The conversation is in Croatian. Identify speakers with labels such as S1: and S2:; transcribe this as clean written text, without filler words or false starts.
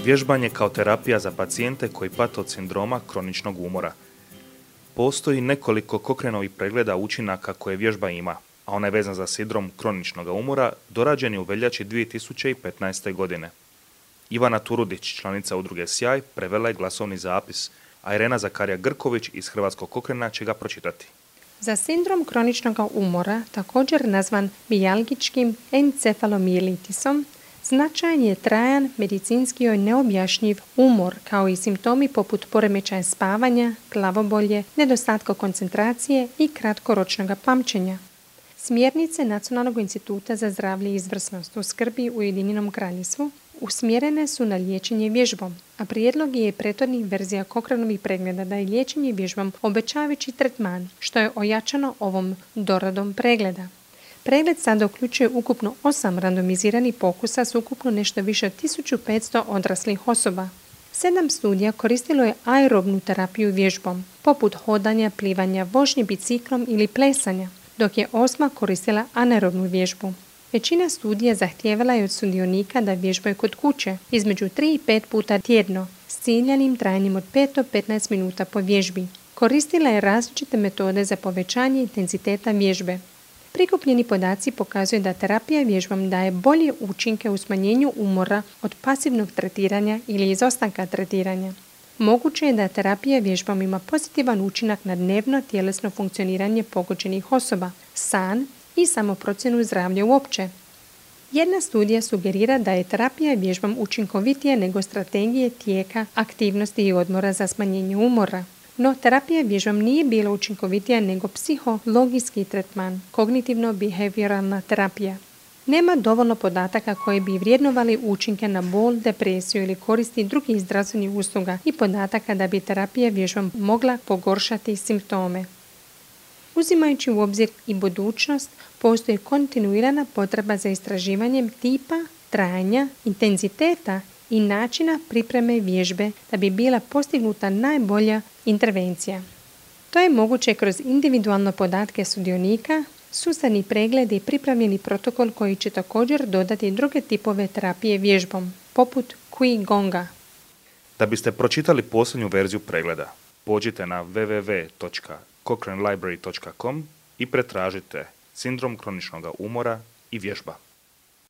S1: Vježbanje kao terapija za pacijente koji pate od sindroma kroničnog umora. Postoji nekoliko Cochraneovih pregleda učinaka koje vježba ima, a ona je vezana za sindrom kroničnog umora, dorađen je u veljači 2015. godine. Ivana Turudić, članica udruge Sjaj, prevela je glasovni zapis, a Irena Zakarija Grković iz Hrvatskog Cochrana će ga pročitati.
S2: Za sindrom kroničnog umora, također nazvan mijalgičkim encefalomijelitisom, značajan je trajan, medicinski i neobjašnjiv umor, kao i simptomi poput poremećaja spavanja, glavobolje, nedostatka koncentracije i kratkoročnog pamćenja. Smjernice Nacionalnog instituta za zdravlje i izvrsnost u skrbi u Ujedinjenom Kraljevstvu usmjerene su na liječenje vježbom, a prijedlog je prethodnih verzija Cochraneovih pregleda da je liječenje vježbom obećavajući tretman, što je ojačano ovom doradom pregleda. Pregled sada uključuje ukupno 8 randomiziranih pokusa s ukupno nešto više od 1500 odraslih osoba. 7 studija koristilo je aerobnu terapiju vježbom, poput hodanja, plivanja, vožnje biciklom ili plesanja, dok je 8 koristila anaerobnu vježbu. Većina studija zahtijevala je od sudionika da vježbaju kod kuće između 3 i 5 puta tjedno s ciljanim trajanjem od 5 do 15 minuta po vježbi. Koristila je različite metode za povećanje intenziteta vježbe. Prikupljeni podaci pokazuju da terapija vježbom daje bolje učinke u smanjenju umora od pasivnog tretiranja ili izostanka tretiranja. Moguće je da terapija vježbom ima pozitivan učinak na dnevno tjelesno funkcioniranje pogođenih osoba, san i samoprocjenu zdravlja uopće. Jedna studija sugerira da je terapija vježbom učinkovitija nego strategije tijeka, aktivnosti i odmora za smanjenje umora. No, terapija vježbom nije bila učinkovitija nego psihologijski tretman, kognitivno-behavioralna terapija. Nema dovoljno podataka koji bi vrijednovali učinke na bol, depresiju ili koristi drugih zdravstvenih usluga i podataka da bi terapija vježbom mogla pogoršati simptome. Uzimajući u obzir i budućnost, postoji kontinuirana potreba za istraživanjem tipa, trajanja, intenziteta i načina pripreme vježbe da bi bila postignuta najbolja intervencija. To je moguće kroz individualne podatke sudionika, sustavni pregled i pripremljeni protokol koji će također dodati druge tipove terapije vježbom, poput Qi-Gonga.
S1: Da biste pročitali posljednju verziju pregleda, pođite na www.cochranelibrary.com i pretražite sindrom kroničnog umora i vježba.